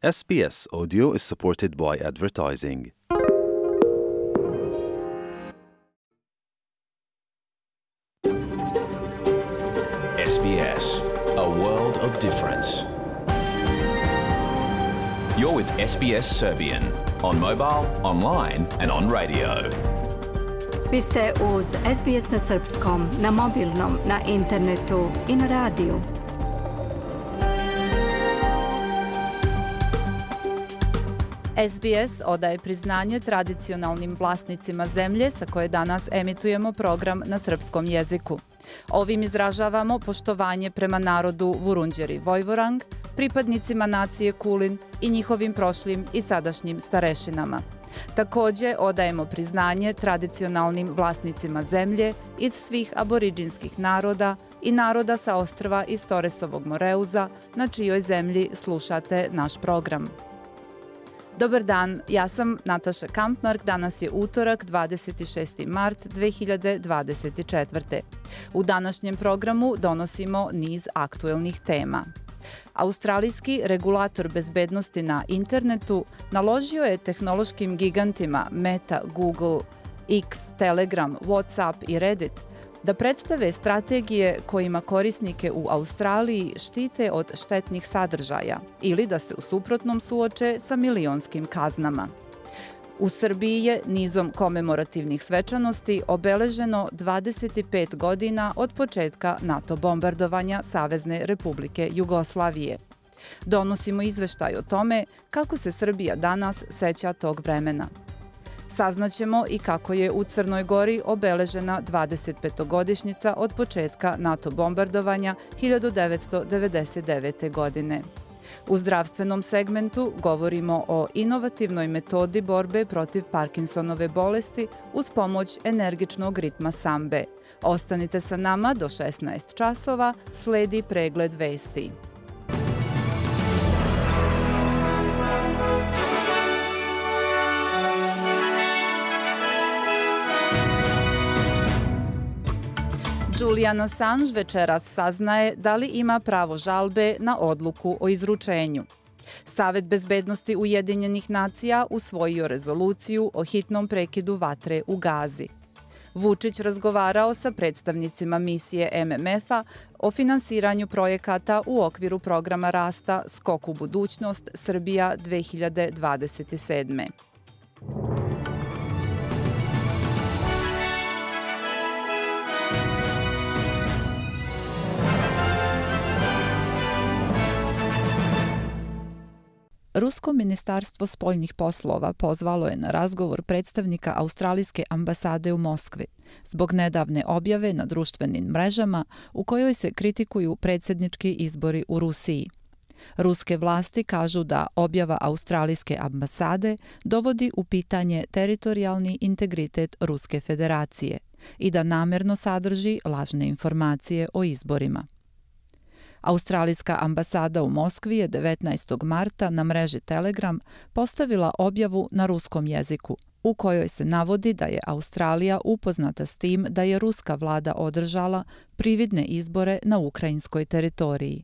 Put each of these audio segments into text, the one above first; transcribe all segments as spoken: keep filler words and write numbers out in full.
S B S Audio is supported by advertising. S B S, a world of difference. You're with S B S Serbian on mobile, online and on radio. Vi ste uz S B S na srpskom, na mobilnom, na internetu i na radiju. S B S odaje priznanje tradicionalnim vlasnicima zemlje sa koje danas emitujemo program na srpskom jeziku. Ovim izražavamo poštovanje prema narodu Vurundjeri Vojvorang, pripadnicima nacije Kulin i njihovim prošlim i sadašnjim starešinama. Također odajemo priznanje tradicionalnim vlasnicima zemlje iz svih aboriđinskih naroda i naroda sa ostrva iz Toresovog Moreuza, na čijoj zemlji slušate naš program. Dobar dan, ja sam Nataša Kampmark, danas je utorak, dvadeset šesti mart dve hiljade dvadeset četvrte. U današnjem programu donosimo niz aktuelnih tema. Australijski regulator bezbednosti na internetu naložio je tehnološkim gigantima Meta, Google, X, Telegram, WhatsApp i Reddit da predstave strategije kojima korisnike u Australiji štite od štetnih sadržaja ili da se u suprotnom suoče sa milionskim kaznama. U Srbiji je nizom komemorativnih svečanosti obeleženo dvadeset pet godina od početka NATO bombardovanja Savezne Republike Jugoslavije. Donosimo izveštaj o tome kako se Srbija danas seća tog vremena. Saznaćemo i kako je u Crnoj Gori obeležena dvadesetpetogodišnjica od početka NATO bombardovanja hiljadu devetsto devedeset devete. godine. U zdravstvenom segmentu govorimo o inovativnoj metodi borbe protiv Parkinsonove bolesti uz pomoć energičnog ritma sambe. Ostanite sa nama do šesnaest časova, sledi pregled vesti. Julian Assange večeras saznaje da li ima pravo žalbe na odluku o izručenju. Savet bezbednosti Ujedinjenih nacija usvojio rezoluciju o hitnom prekidu vatre u Gazi. Vučić razgovarao sa predstavnicima misije M M F-a o finansiranju projekata u okviru programa rasta Skok u budućnost Srbija dve hiljade dvadeset sedme. Rusko ministarstvo spoljnih poslova pozvalo je na razgovor predstavnika australijske ambasade u Moskvi zbog nedavne objave na društvenim mrežama u kojoj se kritikuju predsjednički izbori u Rusiji. Ruske vlasti kažu da objava australijske ambasade dovodi u pitanje teritorijalni integritet Ruske federacije i da namjerno sadrži lažne informacije o izborima. Australijska ambasada u Moskvi je devetnaestog marta na mreži Telegram postavila objavu na ruskom jeziku, u kojoj se navodi da je Australija upoznata s tim da je ruska vlada održala prividne izbore na ukrajinskoj teritoriji.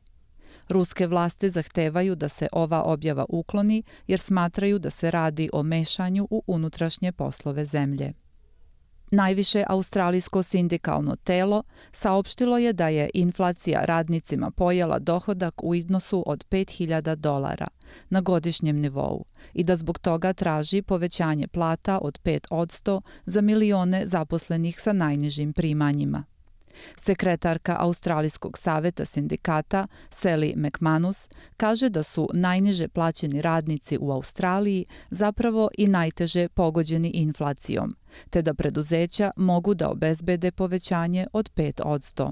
Ruske vlasti zahtevaju da se ova objava ukloni jer smatraju da se radi o mešanju u unutrašnje poslove zemlje. Najviše australijsko sindikalno telo saopštilo je da je inflacija radnicima pojela dohodak u iznosu od pet hiljada dolara na godišnjem nivou i da zbog toga traži povećanje plata od pet posto za milione zaposlenih sa najnižim primanjima. Sekretarka Australijskog saveta sindikata Sally McManus kaže da su najniže plaćeni radnici u Australiji zapravo i najteže pogođeni inflacijom, te da preduzeća mogu da obezbede povećanje od pet posto.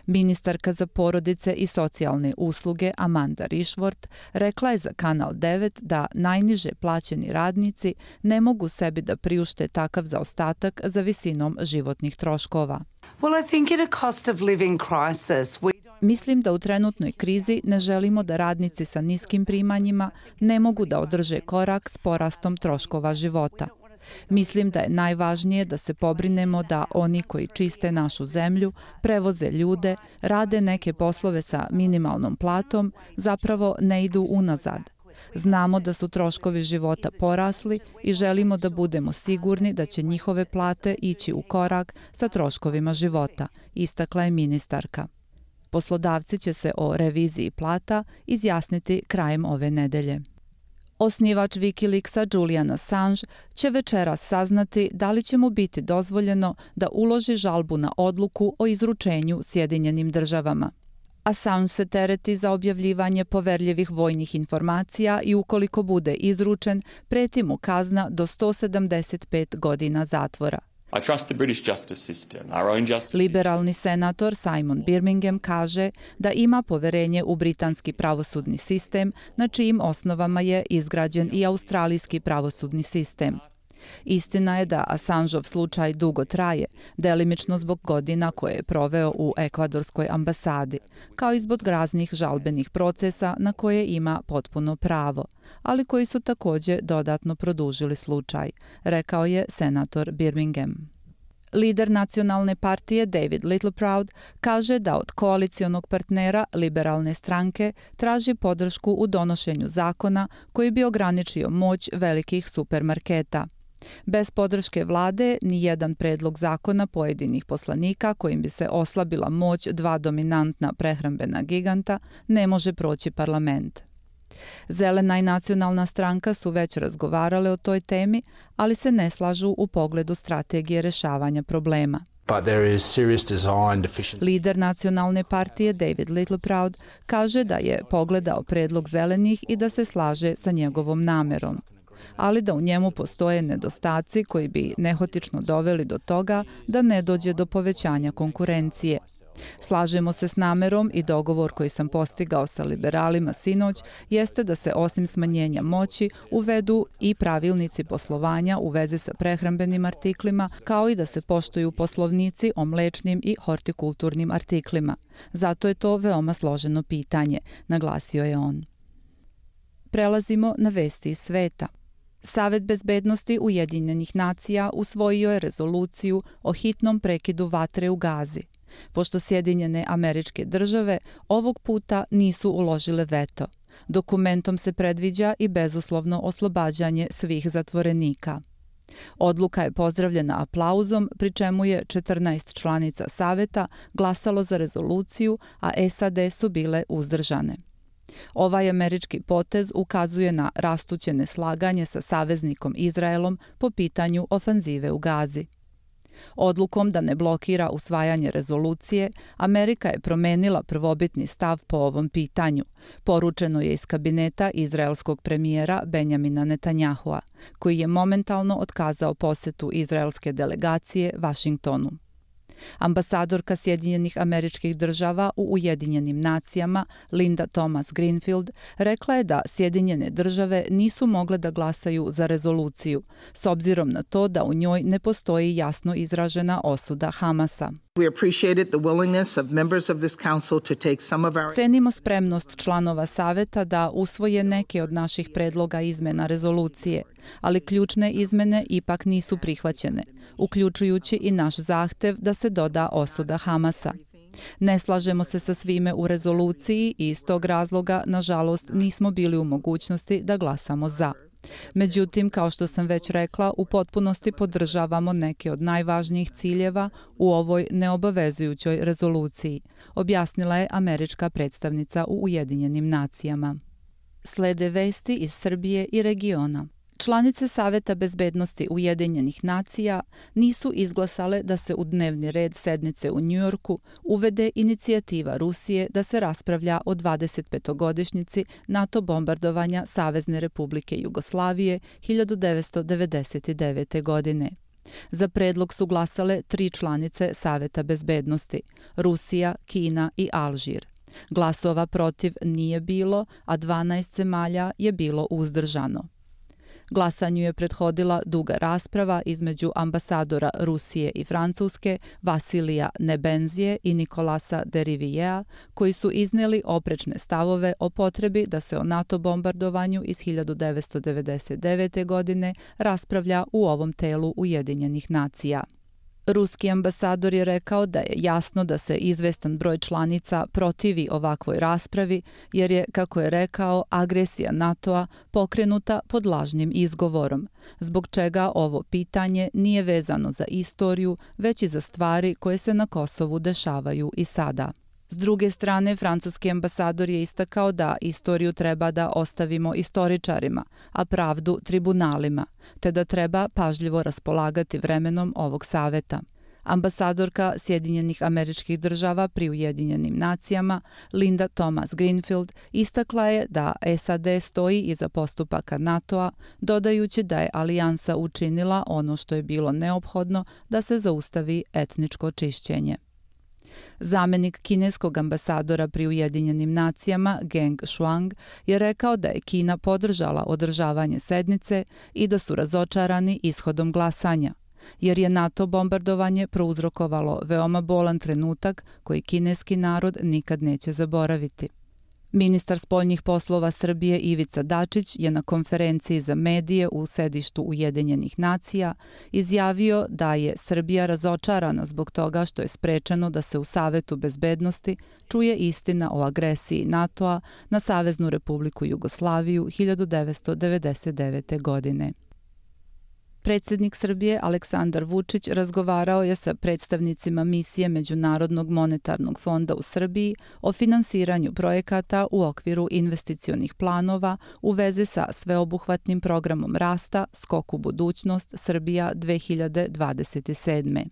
Ministarka za porodice i socijalne usluge Amanda Rishworth rekla je za Kanal devet da najniže plaćeni radnici ne mogu sebi da priušte takav zaostatak za visinom životnih troškova. Well, I think at a cost of living crisis, we Mislim da u trenutnoj krizi ne želimo da radnici sa niskim primanjima ne mogu da održe korak s porastom troškova života. Mislim da je najvažnije da se pobrinemo da oni koji čiste našu zemlju, prevoze ljude, rade neke poslove sa minimalnom platom, zapravo ne idu unazad. Znamo da su troškovi života porasli i želimo da budemo sigurni da će njihove plate ići u korak sa troškovima života, istakla je ministarka. Poslodavci će se o reviziji plata izjasniti krajem ove nedelje. Osnivač Wikileaksa Julian Assange će večeras saznati da li će mu biti dozvoljeno da uloži žalbu na odluku o izručenju Sjedinjenim državama. Assange se tereti za objavljivanje poverljivih vojnih informacija i ukoliko bude izručen, preti mu kazna do sto sedamdeset pet godina zatvora. I trust the British justice system, our own justice. Liberalni senator Simon Birmingham kaže da ima poverenje u britanski pravosudni sistem, na čijim osnovama je izgrađen i australijski pravosudni sistem. Istina je da Assangeov slučaj dugo traje, delimično zbog godina koje je proveo u ekvadorskoj ambasadi, kao i zbog raznih žalbenih procesa na koje ima potpuno pravo, ali koji su također dodatno produžili slučaj, rekao je senator Birmingham. Lider nacionalne partije David Littleproud kaže da od koalicionog partnera liberalne stranke traži podršku u donošenju zakona koji bi ograničio moć velikih supermarketa. Bez podrške vlade, ni jedan predlog zakona pojedinih poslanika kojim bi se oslabila moć dva dominantna prehrambena giganta ne može proći parlament. Zelena i nacionalna stranka su već razgovarale o toj temi, ali se ne slažu u pogledu strategije rešavanja problema. But there is serious design deficiency. Lider nacionalne partije David Littleproud kaže da je pogledao predlog zelenih i da se slaže sa njegovom namerom, ali da u njemu postoje nedostaci koji bi nehotično doveli do toga da ne dođe do povećanja konkurencije. Slažemo se s namerom i dogovor koji sam postigao sa liberalima sinoć jeste da se osim smanjenja moći uvedu i pravilnici poslovanja u vezi sa prehrambenim artiklima, kao i da se poštuju poslovnici o mlečnim i hortikulturnim artiklima. Zato je to veoma složeno pitanje, naglasio je on. Prelazimo na vesti iz sveta. Savet bezbednosti Ujedinjenih nacija usvojio je rezoluciju o hitnom prekidu vatre u Gazi, pošto Sjedinjene Američke Države ovog puta nisu uložile veto. Dokumentom se predviđa i bezuslovno oslobađanje svih zatvorenika. Odluka je pozdravljena aplauzom, pri čemu je četrnaest članica Saveta glasalo za rezoluciju, a S A D su bile uzdržane. Ovaj američki potez ukazuje na rastuće neslaganje sa saveznikom Izraelom po pitanju ofanzive u Gazi. Odlukom da ne blokira usvajanje rezolucije, Amerika je promenila prvobitni stav po ovom pitanju, poručeno je iz kabineta izraelskog premijera Benjamina Netanjahua, koji je momentalno otkazao posetu izraelske delegacije Vašingtonu. Ambasadorka Sjedinjenih Američkih Država u Ujedinjenim nacijama Linda Thomas Greenfield rekla je da Sjedinjene Države nisu mogle da glasaju za rezoluciju, s obzirom na to da u njoj ne postoji jasno izražena osuda Hamasa. Cenimo spremnost članova Saveta da usvoje neke od naših predloga izmena rezolucije, ali ključne izmene ipak nisu prihvaćene, uključujući i naš zahtev da se doda osuda Hamasa. Ne slažemo se sa svime u rezoluciji i iz tog razloga, nažalost, nismo bili u mogućnosti da glasamo za. Međutim, kao što sam već rekla, u potpunosti podržavamo neke od najvažnijih ciljeva u ovoj neobavezujućoj rezoluciji, objasnila je američka predstavnica u Ujedinjenim nacijama. Slede vesti iz Srbije i regiona. Članice Saveta bezbednosti Ujedinjenih nacija nisu izglasale da se u dnevni red sednice u Njujorku uvede inicijativa Rusije da se raspravlja o dvadesetpetogodišnjici NATO bombardovanja Savezne Republike Jugoslavije hiljadu devetsto devedeset devete. godine. Za predlog su glasale tri članice Saveta bezbednosti – Rusija, Kina i Alžir. Glasova protiv nije bilo, a dvanaest zemalja je bilo uzdržano. Glasanju je prethodila duga rasprava između ambasadora Rusije i Francuske Vasilija Nebenzije i Nikolasa Derivijea, koji su iznijeli oprečne stavove o potrebi da se o NATO bombardovanju iz hiljadu devetsto devedeset devete. godine raspravlja u ovom telu Ujedinjenih nacija. Ruski ambasador je rekao da je jasno da se izvestan broj članica protivi ovakvoj raspravi, jer je, kako je rekao, agresija NATO-a pokrenuta pod lažnim izgovorom, zbog čega ovo pitanje nije vezano za istoriju, već i za stvari koje se na Kosovu dešavaju i sada. S druge strane, francuski ambasador je istakao da istoriju treba da ostavimo istoričarima, a pravdu tribunalima, te da treba pažljivo raspolagati vremenom ovog saveta. Ambasadorka Sjedinjenih Američkih Država pri Ujedinjenim nacijama Linda Thomas Greenfield istakla je da S A D stoji iza postupaka NATO-a, dodajući da je alijansa učinila ono što je bilo neophodno da se zaustavi etničko čišćenje. Zamenik kineskog ambasadora pri Ujedinjenim nacijama Geng Shuang je rekao da je Kina podržala održavanje sednice i da su razočarani ishodom glasanja, jer je NATO bombardovanje prouzrokovalo veoma bolan trenutak koji kineski narod nikad neće zaboraviti. Ministar spoljnih poslova Srbije Ivica Dačić je na konferenciji za medije u sedištu Ujedinjenih nacija izjavio da je Srbija razočarana zbog toga što je sprečeno da se u Savetu bezbednosti čuje istina o agresiji NATO-a na Saveznu Republiku Jugoslaviju hiljadu devetsto devedeset devete. godine. Predsjednik Srbije Aleksandar Vučić razgovarao je sa predstavnicima misije Međunarodnog monetarnog fonda u Srbiji o finansiranju projekata u okviru investicionih planova u vezi sa sveobuhvatnim programom rasta Skok u budućnost Srbija dve hiljade dvadeset sedme.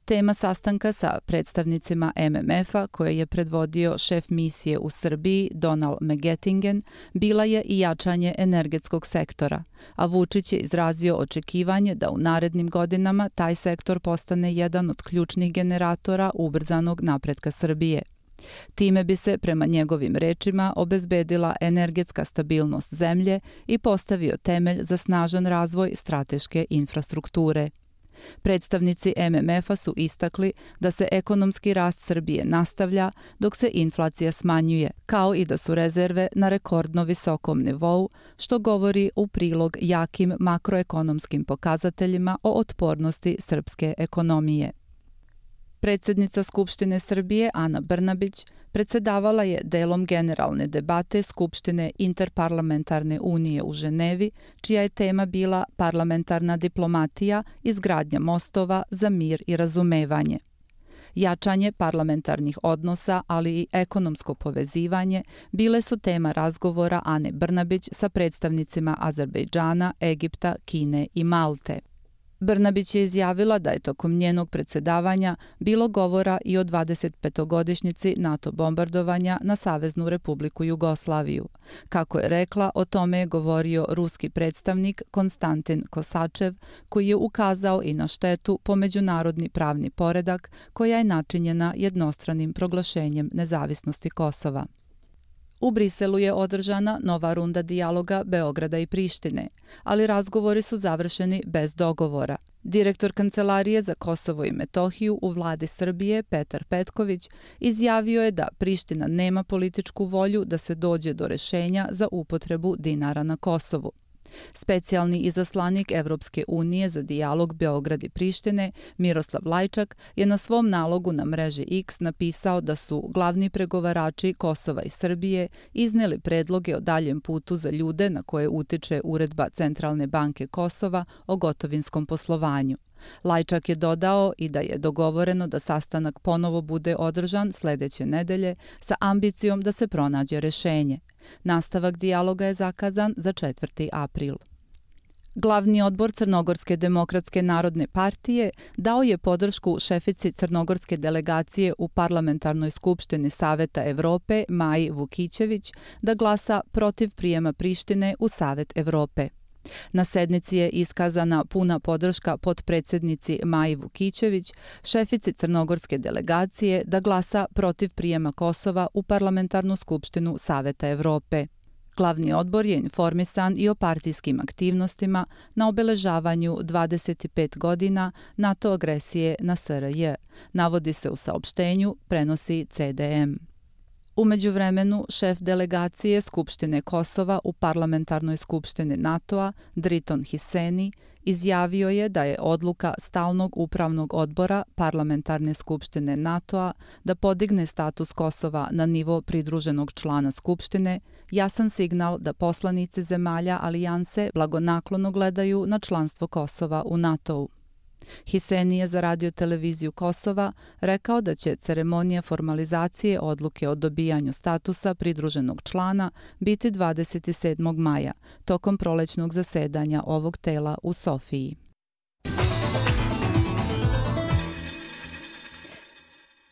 Tema sastanka sa predstavnicima M M F-a, koje je predvodio šef misije u Srbiji Donald Megetingen, bila je i jačanje energetskog sektora, a Vučić je izrazio očekivanje da u narednim godinama taj sektor postane jedan od ključnih generatora ubrzanog napretka Srbije. Time bi se, prema njegovim rečima, obezbedila energetska stabilnost zemlje i postavio temelj za snažan razvoj strateške infrastrukture. Predstavnici M M F-a su istakli da se ekonomski rast Srbije nastavlja dok se inflacija smanjuje, kao i da su rezerve na rekordno visokom nivou, što govori u prilog jakim makroekonomskim pokazateljima o otpornosti srpske ekonomije. Predsjednica Skupštine Srbije Ana Brnabić predsedavala je delom generalne debate Skupštine Interparlamentarne unije u Ženevi, čija je tema bila parlamentarna diplomatija, izgradnja mostova za mir i razumevanje. Jačanje parlamentarnih odnosa, ali i ekonomsko povezivanje bile su tema razgovora Ane Brnabić sa predstavnicima Azerbejdžana, Egipta, Kine i Malte. Brnabić je izjavila da je tokom njenog predsedavanja bilo govora i o dvadesetpetogodišnjici NATO bombardovanja na Saveznu Republiku Jugoslaviju. Kako je rekla, o tome je govorio ruski predstavnik Konstantin Kosačev, koji je ukazao i na štetu po međunarodni pravni poredak koja je načinjena jednostranim proglašenjem nezavisnosti Kosova. U Briselu je održana nova runda dijaloga Beograda i Prištine, ali razgovori su završeni bez dogovora. Direktor Kancelarije za Kosovo i Metohiju u vladi Srbije, Petar Petković, izjavio je da Priština nema političku volju da se dođe do rešenja za upotrebu dinara na Kosovu. Specijalni izaslanik Evropske unije za dijalog Beograd i Prištine, Miroslav Lajčak, je na svom nalogu na mreži X napisao da su glavni pregovarači Kosova i Srbije izneli predloge o daljem putu za ljude na koje utiče uredba Centralne banke Kosova o gotovinskom poslovanju. Lajčak je dodao i da je dogovoreno da sastanak ponovo bude održan sledeće nedelje sa ambicijom da se pronađe rešenje. Nastavak dijaloga je zakazan za četvrti april. Glavni odbor Crnogorske demokratske narodne partije dao je podršku šefici crnogorske delegacije u Parlamentarnoj skupštini Saveta Evrope Maji Vukićević da glasa protiv prijema Prištine u Savet Evrope. Na sednici je iskazana puna podrška potpredsednici Maji Vukićević, šefici crnogorske delegacije, da glasa protiv prijema Kosova u Parlamentarnu skupštinu Saveta Evrope. Glavni odbor je informisan i o partijskim aktivnostima na obeležavanju dvadeset pet godina NATO agresije na S R J, navodi se u saopštenju, prenosi C D M. U međuvremenu, šef delegacije Skupštine Kosova u Parlamentarnoj skupštini NATO-a, Driton Hiseni, izjavio je da je odluka Stalnog upravnog odbora Parlamentarne skupštine NATO-a da podigne status Kosova na nivo pridruženog člana Skupštine jasan signal da poslanici zemalja alijanse blagonaklono gledaju na članstvo Kosova u NATO-u. Hiseni je za radio-televiziju Kosova rekao da će ceremonija formalizacije odluke o dobijanju statusa pridruženog člana biti dvadeset sedmog maja, tokom prolećnog zasedanja ovog tela u Sofiji.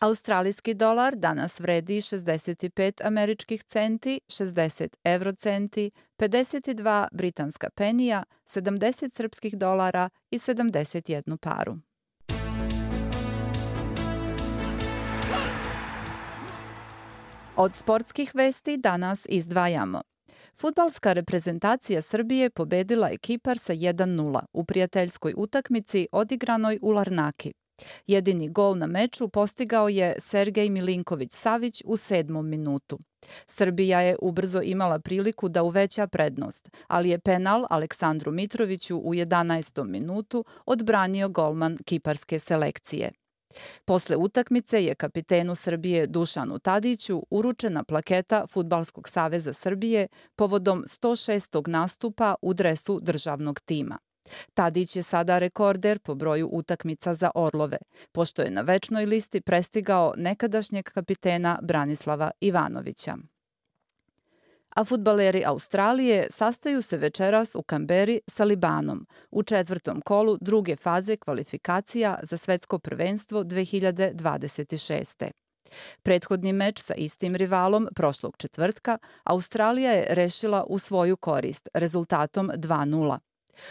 Australijski dolar danas vredi šezdeset pet američkih centi, šezdeset evrocenti, pedeset dva britanska penija, sedamdeset srpskih dolara i sedamdeset jednu paru. Od sportskih vesti danas izdvajamo. Fudbalska reprezentacija Srbije pobedila je Kipar sa jedan nula u prijateljskoj utakmici odigranoj u Larnaki. Jedini gol na meču postigao je Sergej Milinković-Savić u sedmom minutu. Srbija je ubrzo imala priliku da uveća prednost, ali je penal Aleksandru Mitroviću u jedanaestom minutu odbranio golman kiparske selekcije. Posle utakmice je kapitenu Srbije Dušanu Tadiću uručena plaketa Fudbalskog saveza Srbije povodom sto šestog nastupa u dresu državnog tima. Tadić je sada rekorder po broju utakmica za Orlove, pošto je na večnoj listi prestigao nekadašnjeg kapitena Branislava Ivanovića. A fudbaleri Australije sastaju se večeras u Kamberi sa Libanom u četvrtom kolu druge faze kvalifikacija za svetsko prvenstvo dve hiljade dvadeset šeste. Prethodni meč sa istim rivalom prošlog četvrtka Australija je rešila u svoju korist rezultatom dva nula.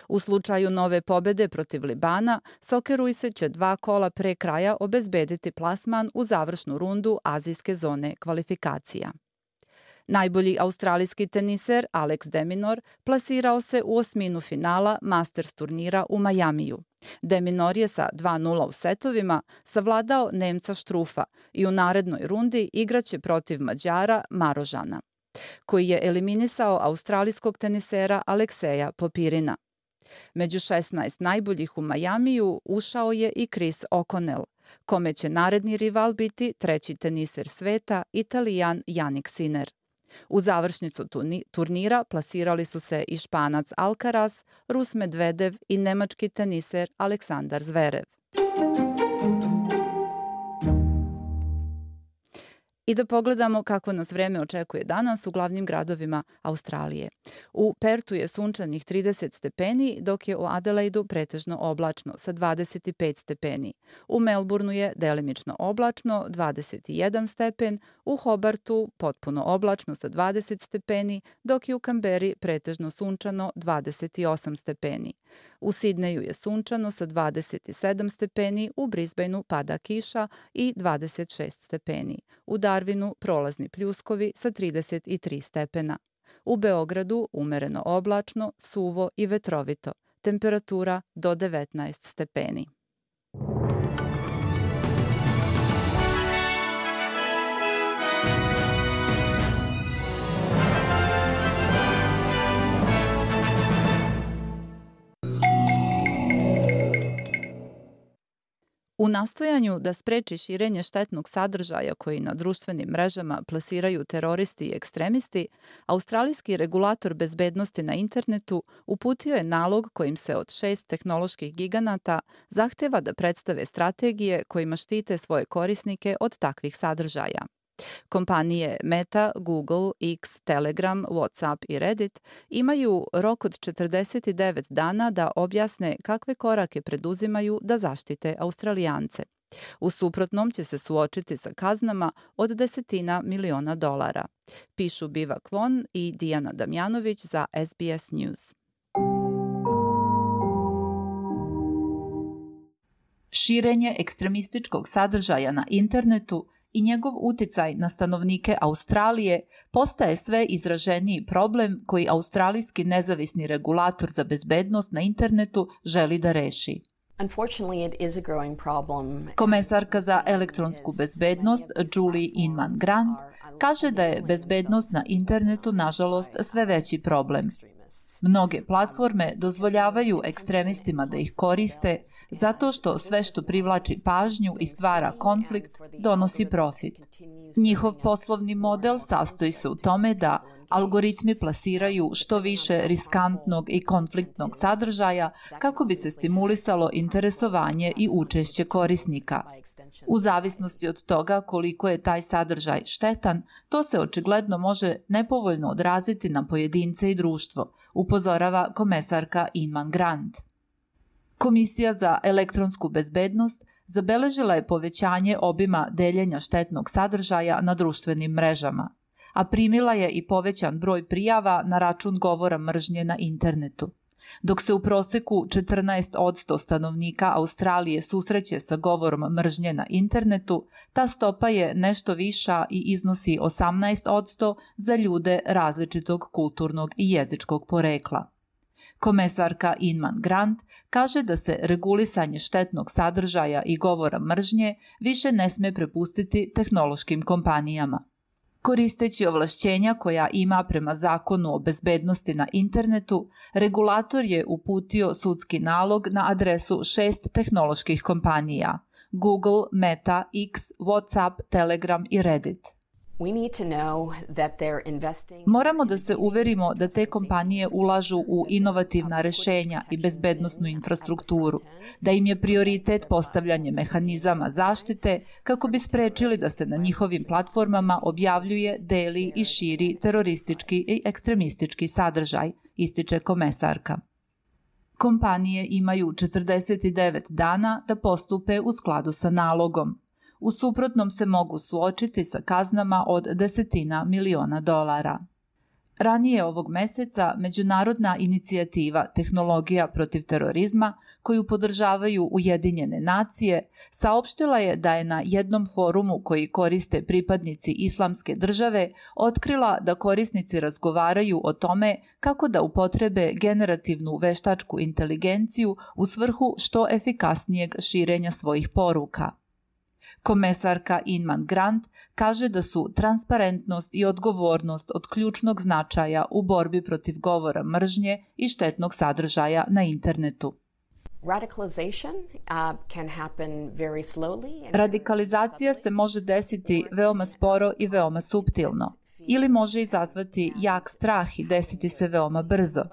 U slučaju nove pobede protiv Libana, Sokeruise će dva kola pre kraja obezbediti plasman u završnu rundu azijske zone kvalifikacija. Najbolji australijski teniser Alex de Minaur plasirao se u osminu finala Masters turnira u Majamiju. De Minaur je sa dva nula u setovima savladao Nemca Štrufa i u narednoj rundi igraće protiv Mađara Marožana, koji je eliminisao australijskog tenisera Alekseja Popirina. Među šesnaest najboljih u Majamiju ušao je i Chris O'Connell, kome će naredni rival biti treći teniser sveta, Italijan Jannik Sinner. U završnicu turnira plasirali su se i Španac Alcaraz, Rus Medvedev i nemački teniser Aleksandar Zverev. I da pogledamo kako nas vreme očekuje danas u glavnim gradovima Australije. U Pertu je sunčanih trideset stepeni, dok je u Adelaidu pretežno oblačno sa dvadeset pet stepeni. U Melbourneu je delimično oblačno, dvadeset jedan stepen, u Hobartu potpuno oblačno sa dvadeset stepeni, dok je u Kamberi pretežno sunčano dvadeset osam stepeni. U Sidneju je sunčano sa dvadeset sedam stepeni, u Brisbaneu pada kiša i dvadeset šest stepeni. U Darwinu prolazni pljuskovi sa trideset tri stepena. U Beogradu umereno oblačno, suvo i vetrovito. Temperatura do devetnaest stepeni. U nastojanju da spreči širenje štetnog sadržaja koji na društvenim mrežama plasiraju teroristi i ekstremisti, australijski regulator bezbednosti na internetu uputio je nalog kojim se od šest tehnoloških giganata zahteva da predstave strategije kojima štite svoje korisnike od takvih sadržaja. Kompanije Meta, Google, X, Telegram, WhatsApp i Reddit imaju rok od četrdeset devet dana da objasne kakve korake preduzimaju da zaštite Australijance. U suprotnom će se suočiti sa kaznama od desetina miliona dolara. Pišu Biva Kwon i Dijana Damjanović za S B S News. Širenje ekstremističkog sadržaja na internetu i njegov uticaj na stanovnike Australije postaje sve izraženiji problem koji australijski nezavisni regulator za bezbednost na internetu želi da reši. Unfortunately, it is a growing problem. Komesarka za elektronsku bezbednost Julie Inman Grant kaže da je bezbednost na internetu nažalost sve veći problem. Mnoge platforme dozvoljavaju ekstremistima da ih koriste zato što sve što privlači pažnju i stvara konflikt donosi profit. Njihov poslovni model sastoji se u tome da algoritmi plasiraju što više riskantnog i konfliktnog sadržaja kako bi se stimulisalo interesovanje i učešće korisnika. U zavisnosti od toga koliko je taj sadržaj štetan, to se očigledno može nepovoljno odraziti na pojedince i društvo, upozorava komesarka Inman Grant. Komisija za elektronsku bezbednost zabeležila je povećanje obima deljenja štetnog sadržaja na društvenim mrežama, a primila je i povećan broj prijava na račun govora mržnje na internetu. Dok se u proseku četrnaest posto stanovnika Australije susreće sa govorom mržnje na internetu, ta stopa je nešto viša i iznosi osamnaest posto za ljude različitog kulturnog i jezičkog porekla. Komesarka Inman Grant kaže da se regulisanje štetnog sadržaja i govora mržnje više ne sme prepustiti tehnološkim kompanijama. Koristeći ovlašćenja koja ima prema zakonu o bezbednosti na internetu, regulator je uputio sudski nalog na adresu šest tehnoloških kompanija: Google, Meta, X, WhatsApp, Telegram i Reddit. Moramo da se uverimo da te kompanije ulažu u inovativna rešenja i bezbednosnu infrastrukturu, da im je prioritet postavljanje mehanizama zaštite kako bi sprečili da se na njihovim platformama objavljuje, deli i širi teroristički i ekstremistički sadržaj, ističe komesarka. Kompanije imaju četrdeset devet dana da postupe u skladu sa nalogom. U suprotnom se mogu suočiti sa kaznama od desetina miliona dolara. Ranije ovog meseca Međunarodna inicijativa Tehnologija protiv terorizma, koju podržavaju Ujedinjene nacije, saopštila je da je na jednom forumu koji koriste pripadnici Islamske države otkrila da korisnici razgovaraju o tome kako da upotrebe generativnu veštačku inteligenciju u svrhu što efikasnijeg širenja svojih poruka. Komesarka Inman Grant kaže da su transparentnost i odgovornost od ključnog značaja u borbi protiv govora mržnje i štetnog sadržaja na internetu. Radikalizacija se može desiti veoma sporo i veoma suptilno, ili može izazvati jak strah i desiti se veoma brzo.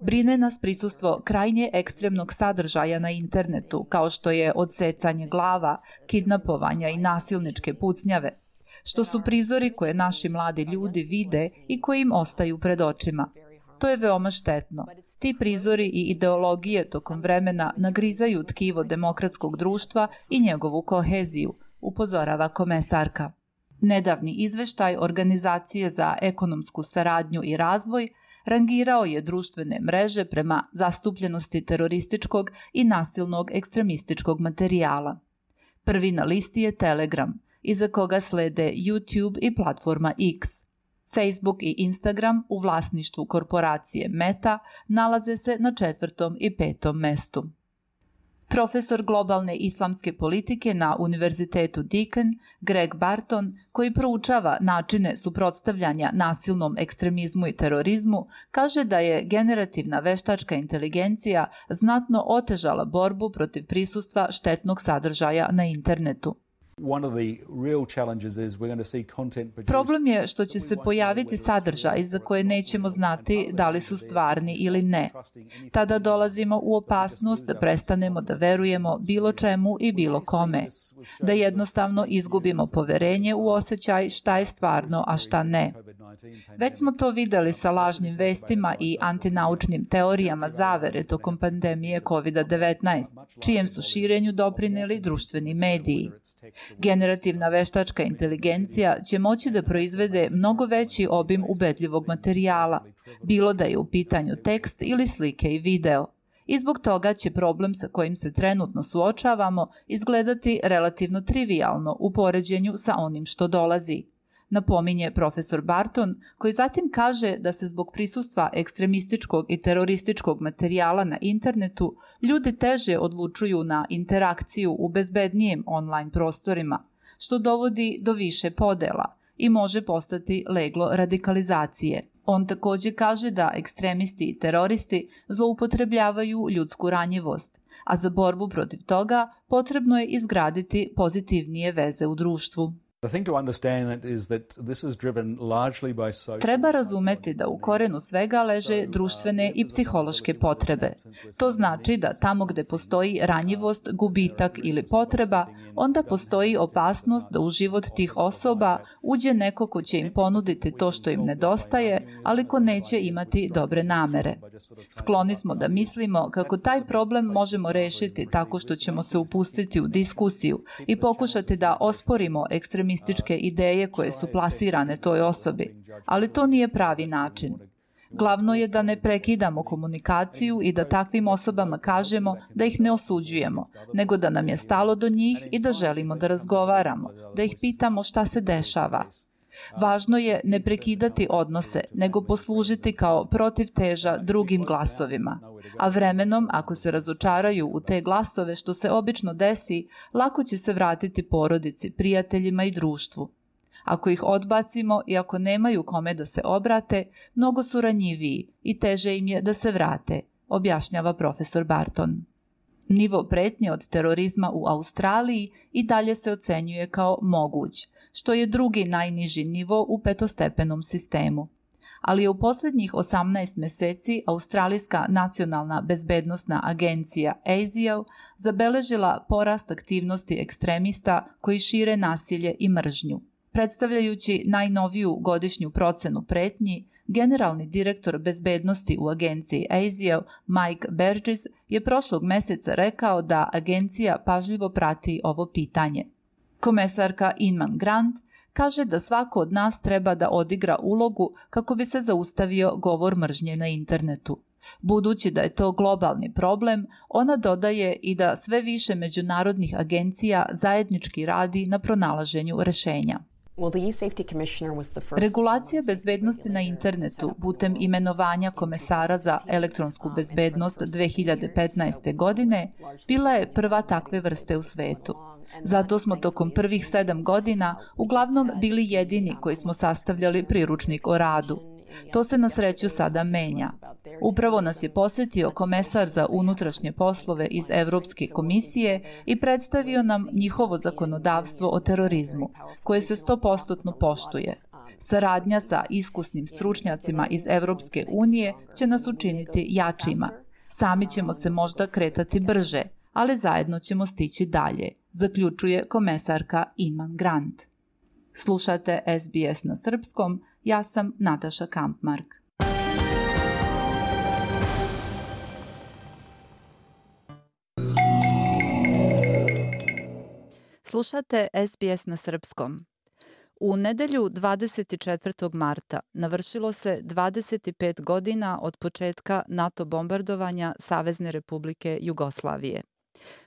Brine nas prisustvo krajnje ekstremnog sadržaja na internetu, kao što je odsecanje glava, kidnapovanja i nasilničke pucnjave, što su prizori koje naši mladi ljudi vide i koji im ostaju pred očima. To je veoma štetno. Ti prizori i ideologije tokom vremena nagrizaju tkivo demokratskog društva i njegovu koheziju, upozorava komesarka. Nedavni izveštaj Organizacije za ekonomsku saradnju i razvoj rangirao je društvene mreže prema zastupljenosti terorističkog i nasilnog ekstremističkog materijala. Prvi na listi je Telegram, iza koga slede YouTube i platforma X. Facebook i Instagram u vlasništvu korporacije Meta nalaze se na četvrtom i petom mestu. Profesor globalne islamske politike na Univerzitetu Deakin, Greg Barton, koji proučava načine suprotstavljanja nasilnom ekstremizmu i terorizmu, kaže da je generativna veštačka inteligencija znatno otežala borbu protiv prisustva štetnog sadržaja na internetu. Problem je što će se pojaviti sadržaj za koje nećemo znati da li su stvarni ili ne. Tada dolazimo u opasnost da prestanemo da verujemo bilo čemu i bilo kome, da jednostavno izgubimo poverenje u osjećaj šta je stvarno, a šta ne. Već smo to videli sa lažnim vestima i antinaučnim teorijama zavere tokom pandemije kovid devetnaest, čijem su širenju doprineli društveni mediji. Generativna veštačka inteligencija će moći da proizvede mnogo veći obim ubedljivog materijala, bilo da je u pitanju tekst ili slike i video. I zbog toga će problem sa kojim se trenutno suočavamo izgledati relativno trivijalno u poređenju sa onim što dolazi. napominje profesor Barton, koji zatim kaže da se zbog prisustva ekstremističkog i terorističkog materijala na internetu ljudi teže odlučuju na interakciju u bezbednijem online prostorima, što dovodi do više podela i može postati leglo radikalizacije. On takođe kaže da ekstremisti i teroristi zloupotrebljavaju ljudsku ranjivost, a za borbu protiv toga potrebno je izgraditi pozitivnije veze u društvu. Treba razumeti da u korenu svega leže društvene i psihološke potrebe. To znači da tamo gde postoji ranjivost, gubitak ili potreba, onda postoji opasnost da u život tih osoba uđe neko ko će im ponuditi to što im nedostaje, ali ko neće imati dobre namere. Skloni smo da mislimo kako taj problem možemo rešiti tako što ćemo se upustiti u diskusiju i pokušati da osporimo ekstremističke ideje koje su plasirane toj osobi, ali to nije pravi način. Glavno je da ne prekidamo komunikaciju i da takvim osobama kažemo da ih ne osuđujemo, nego da nam je stalo do njih i da želimo da razgovaramo, da ih pitamo šta se dešava. Važno je ne prekidati odnose, nego poslužiti kao protivteža drugim glasovima. A vremenom, ako se razočaraju u te glasove, što se obično desi, lako će se vratiti porodici, prijateljima i društvu. Ako ih odbacimo i ako nemaju kome da se obrate, mnogo su ranjiviji i teže im je da se vrate, objašnjava profesor Barton. Nivo pretnje od terorizma u Australiji i dalje se ocenjuje kao moguć, što je drugi najniži nivo u petostepenom sistemu. Ali je u posljednjih osamnaest meseci Australijska nacionalna bezbednosna agencija A S I O zabeležila porast aktivnosti ekstremista koji šire nasilje i mržnju. Predstavljajući najnoviju godišnju procenu pretnji, generalni direktor bezbednosti u agenciji A S I O Mike Burgess je prošlog meseca rekao da agencija pažljivo prati ovo pitanje. Komesarka Inman Grant kaže da svako od nas treba da odigra ulogu kako bi se zaustavio govor mržnje na internetu. Budući da je to globalni problem, ona dodaje i da sve više međunarodnih agencija zajednički radi na pronalaženju rešenja. Regulacija bezbednosti na internetu putem imenovanja komesara za elektronsku bezbednost dve hiljade petnaeste. godine bila je prva takve vrste u svetu. Zato smo tokom prvih sedam godina uglavnom bili jedini koji smo sastavljali priručnik o radu. To se na sreću sada menja. Upravo nas je posjetio komesar za unutrašnje poslove iz Evropske komisije i predstavio nam njihovo zakonodavstvo o terorizmu, koje se sto posto poštuje. Saradnja sa iskusnim stručnjacima iz Evropske unije će nas učiniti jačima. Sami ćemo se možda kretati brže, ali zajedno ćemo stići dalje, zaključuje komesarka Inman Grant. Slušate S B S na srpskom, ja sam Nataša Kampmark. Slušate S B S na srpskom. U nedelju dvadeset četvrtog marta navršilo se dvadeset pet godina od početka NATO bombardovanja Savezne Republike Jugoslavije.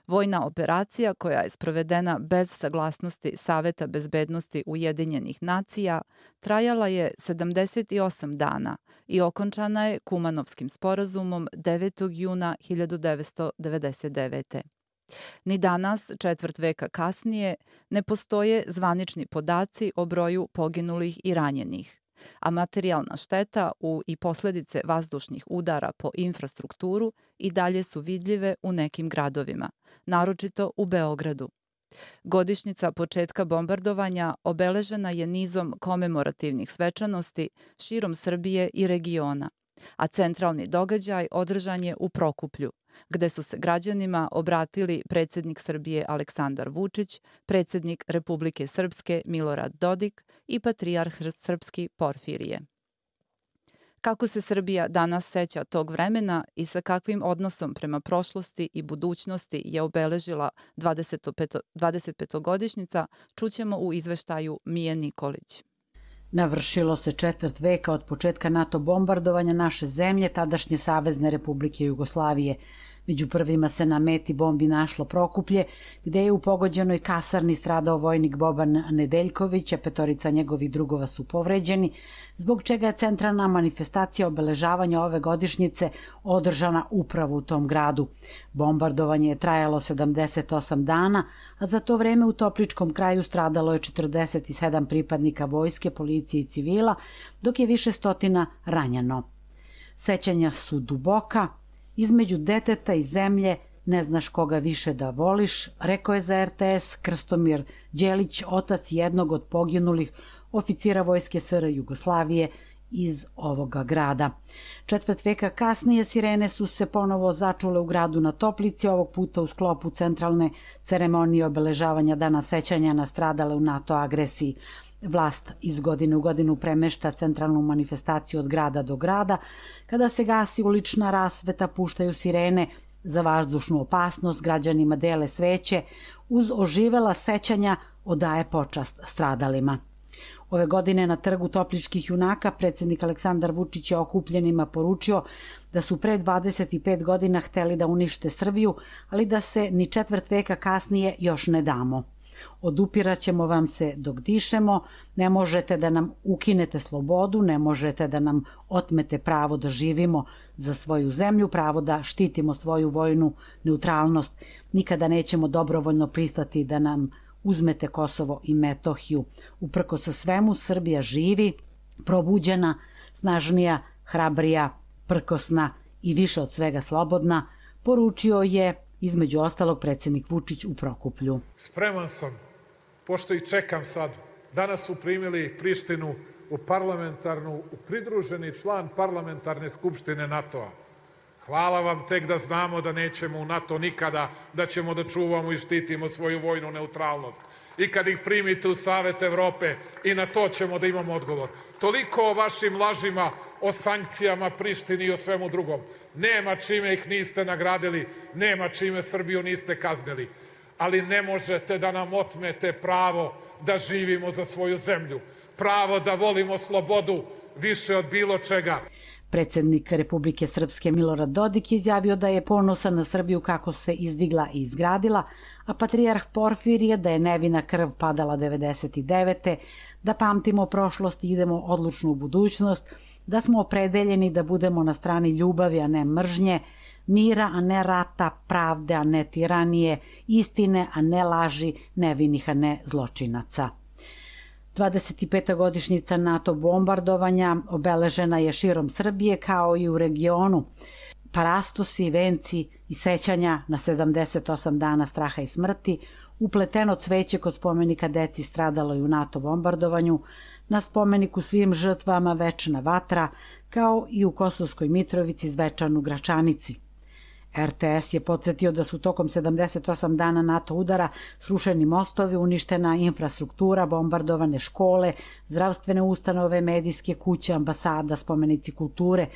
Vojna operacija koja je sprovedena bez saglasnosti Saveta bezbednosti Ujedinjenih nacija trajala je sedamdeset osam dana i okončana je Kumanovskim sporazumom devetog juna hiljadu devetsto devedeset devete. Ni danas, četvrt veka kasnije, ne postoje zvanični podaci o broju poginulih i ranjenih, a materijalna šteta u i posledice vazdušnih udara po infrastrukturu i dalje su vidljive u nekim gradovima, naročito u Beogradu. Godišnjica početka bombardovanja obeležena je nizom komemorativnih svečanosti širom Srbije i regiona, a centralni događaj održan je u Prokuplju, gde su se građanima obratili predsjednik Srbije Aleksandar Vučić, predsjednik Republike Srpske Milorad Dodik i patrijarh srpski Porfirije. Kako se Srbija danas seća tog vremena i sa kakvim odnosom prema prošlosti i budućnosti je obeležila dvadesetpetogodišnjica, čućemo u izveštaju Mije Nikolić. Navršilo se četvrt veka od početka NATO bombardovanja naše zemlje, tadašnje Savezne Republike Jugoslavije. Među prvima se na meti bombi našlo Prokuplje, gde je u pogođenoj kasarni stradao vojnik Boban Nedeljković, a petorica njegovih drugova su povređeni, zbog čega je centralna manifestacija obeležavanja ove godišnjice održana upravo u tom gradu. Bombardovanje je trajalo sedamdeset osam dana, a za to vreme u Topličkom kraju stradalo je četrdeset sedam pripadnika vojske, policije i civila, dok je više stotina ranjeno. Sećanja su duboka, između deteta i zemlje ne znaš koga više da voliš, rekao je za er te es Krstomir Đelić, otac jednog od poginulih oficira vojske es er Jugoslavije iz ovoga grada. Četvrt veka kasnije sirene su se ponovo začule u gradu na Toplici, ovog puta u sklopu centralne ceremonije obeležavanja Dana sećanja na stradale u NATO agresiji. Vlast iz godine u godinu premešta centralnu manifestaciju od grada do grada. Kada se gasi ulična rasveta, puštaju sirene za vazdušnu opasnost, građanima dele sveće, uz oživela sećanja odaje počast stradalima. Ove godine na trgu Topličkih junaka predsjednik Aleksandar Vučić je okupljenima poručio da su pre dvadeset pet godina hteli da unište Srbiju, ali da se ni četvrt veka kasnije još ne damo. Odupiraćemo vam se dok dišemo, ne možete da nam ukinete slobodu, ne možete da nam otmete pravo da živimo za svoju zemlju, pravo da štitimo svoju vojnu neutralnost. Nikada nećemo dobrovoljno pristati da nam uzmete Kosovo i Metohiju. Uprkos sa svemu, Srbija živi, probuđena, snažnija, hrabrija, prkosna i više od svega slobodna, poručio je između ostalog predsjednik Vučić u Prokuplju. Spreman sam, pošto i čekam sad, danas su primili Prištinu u parlamentarnu, u pridruženi član parlamentarne skupštine NATO-a. Hvala vam, tek da znamo da nećemo u NATO nikada, da ćemo da čuvamo i štitimo svoju vojnu neutralnost. I kad ih primite u Savet Evrope, i na to ćemo da imamo odgovor. Toliko o vašim lažima, o sankcijama Prištini i o svemu drugom. Nema čime ih niste nagradili, nema čime Srbiju niste kaznili. Ali ne možete da nam otmete pravo da živimo za svoju zemlju. Pravo da volimo slobodu više od bilo čega. Predsjednik Republike Srpske Milorad Dodik je izjavio da je ponosan na Srbiju kako se izdigla i izgradila, a patrijarh Porfirije da je nevina krv padala devedeset devete da pamtimo prošlost i idemo odlučno u budućnost, da smo opredeljeni da budemo na strani ljubavi, a ne mržnje, mira, a ne rata, pravde, a ne tiranije, istine, a ne laži, nevinih, a ne zločinaca. dvadeset peta godišnjica NATO bombardovanja obeležena je širom Srbije kao i u regionu. Parastosi, venci i sećanja na sedamdeset osam dana straha i smrti, upleteno cveće kod spomenika deci stradalo i u NATO bombardovanju, na spomeniku svim žrtvama večna vatra, kao i u Kosovskoj Mitrovici zvečan u Gračanici. er te es je podsjetio da su tokom sedamdeset osam dana NATO udara srušeni mostovi, uništena infrastruktura, bombardovane škole, zdravstvene ustanove, medijske kuće, ambasada, spomenici kulture,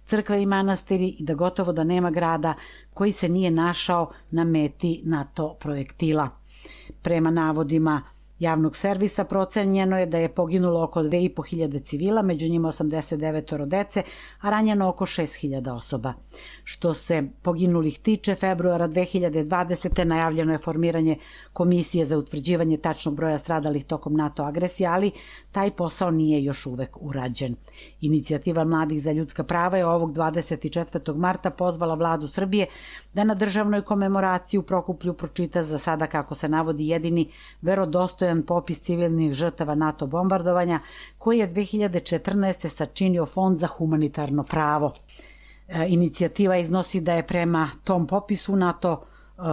crkve i manastiri i da gotovo da nema grada koji se nije našao na meti NATO projektila. Prema navodima javnog servisa procenjeno je da je poginulo oko dve i po hiljade civila, među njima osamdeset devet dece, a ranjeno oko šest hiljada osoba. Što se poginulih tiče, februara dve hiljade dvadesete. najavljeno je formiranje komisije za utvrđivanje tačnog broja stradalih tokom NATO agresije, ali taj posao nije još uvek urađen. Inicijativa Mladih za ljudska prava je ovog dvadeset četvrtog marta pozvala vladu Srbije da na državnoj komemoraciji u Prokuplju pročita za sada, kako se navodi, jedini verodostojan popis civilnih žrtava NATO bombardovanja koji je dve hiljade četrnaeste. sačinio Fond za humanitarno pravo. Inicijativa iznosi da je prema tom popisu NATO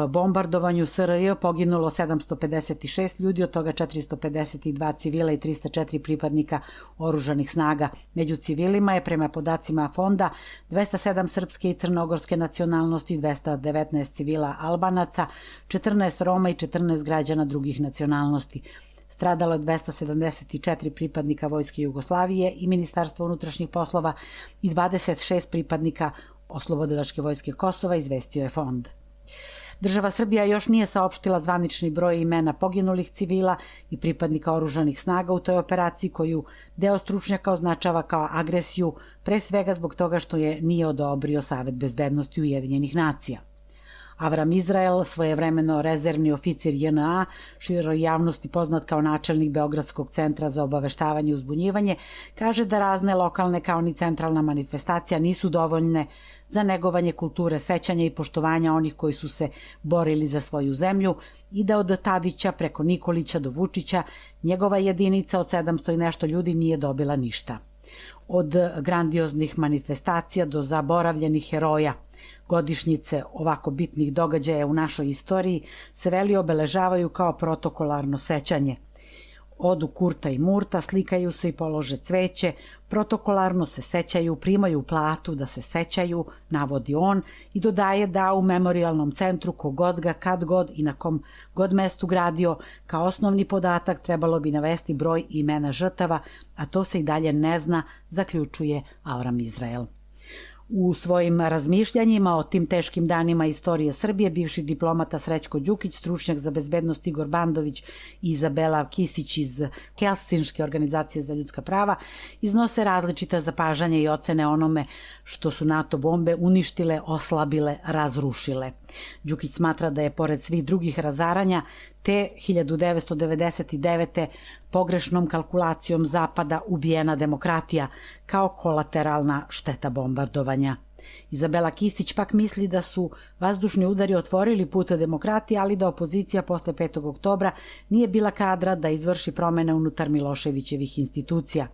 bombardovanju es er je poginulo sedamsto pedeset šest ljudi, od toga četiristo pedeset dva civila i trista četiri pripadnika oružanih snaga. Među civilima je, prema podacima fonda, dvesta sedam srpske i crnogorske nacionalnosti, dvesta devetnaest civila Albanaca, četrnaest Roma i četrnaest građana drugih nacionalnosti. Stradalo je dvesta sedamdeset četiri pripadnika Vojske Jugoslavije i Ministarstva unutrašnjih poslova i dvadeset šest pripadnika Oslobodilačke vojske Kosova, izvestio je fond. Država Srbija još nije saopštila zvanični broj imena poginulih civila i pripadnika oružanih snaga u toj operaciji, koju deo stručnjaka označava kao agresiju, pre svega zbog toga što je nije odobrio Savet bezbednosti Ujedinjenih nacija. Avram Izrael, svojevremeno rezervni oficir J N A, široj javnosti poznat kao načelnik Beogradskog centra za obaveštavanje i uzbunjivanje, kaže da razne lokalne kao ni centralna manifestacija nisu dovoljne za negovanje kulture sećanja i poštovanja onih koji su se borili za svoju zemlju i da od Tadića preko Nikolića do Vučića njegova jedinica od sedamsto i nešto ljudi nije dobila ništa. Od grandioznih manifestacija do zaboravljenih heroja, godišnjice ovako bitnih događaja u našoj istoriji se veli obeležavaju kao protokolarno sećanje. Odu Kurta i Murta, slikaju se i polože cveće, protokolarno se sećaju, primaju platu da se sećaju, navodi on i dodaje da u memorialnom centru kogod ga kad god i na kom god mestu gradio, kao osnovni podatak trebalo bi navesti broj imena žrtava, a to se i dalje ne zna, zaključuje Avram Izrael. U svojim razmišljanjima o tim teškim danima istorije Srbije bivši diplomata Srećko Đukić, stručnjak za bezbednost Igor Bandović i Izabela Kisić iz Helsinške organizacije za ljudska prava iznose različita zapažanja i ocene onome što su NATO bombe uništile, oslabile, razrušile. Đukić smatra da je pored svih drugih razaranja te hiljadu devetsto devedeset devete. pogrešnom kalkulacijom Zapada ubijena demokratija kao kolateralna šteta bombardovanja. Izabela Kisić pak misli da su vazdušni udari otvorili put demokratiji, ali da opozicija posle petog oktobra nije bila kadra da izvrši promene unutar Miloševićevih institucija.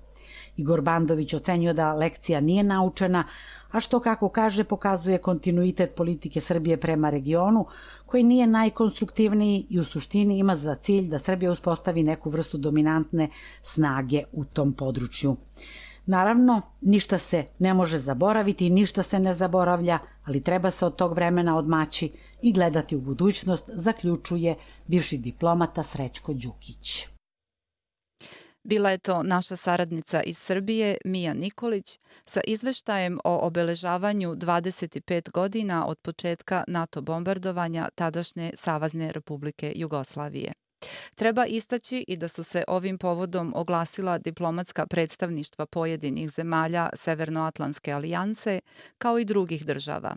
Igor Bandović ocenjuje da lekcija nije naučena, a što, kako kaže, pokazuje kontinuitet politike Srbije prema regionu, koji nije najkonstruktivniji i u suštini ima za cilj da Srbija uspostavi neku vrstu dominantne snage u tom području. Naravno, ništa se ne može zaboraviti i ništa se ne zaboravlja, ali treba se od tog vremena odmaći i gledati u budućnost, zaključuje bivši diplomata Srećko Đukić. Bila je to naša saradnica iz Srbije, Mija Nikolić, sa izveštajem o obeležavanju dvadeset pet godina od početka NATO bombardovanja tadašnje Savezne Republike Jugoslavije. Treba istaći i da su se ovim povodom oglasila diplomatska predstavništva pojedinih zemalja Severnoatlantske alijanse, kao i drugih država.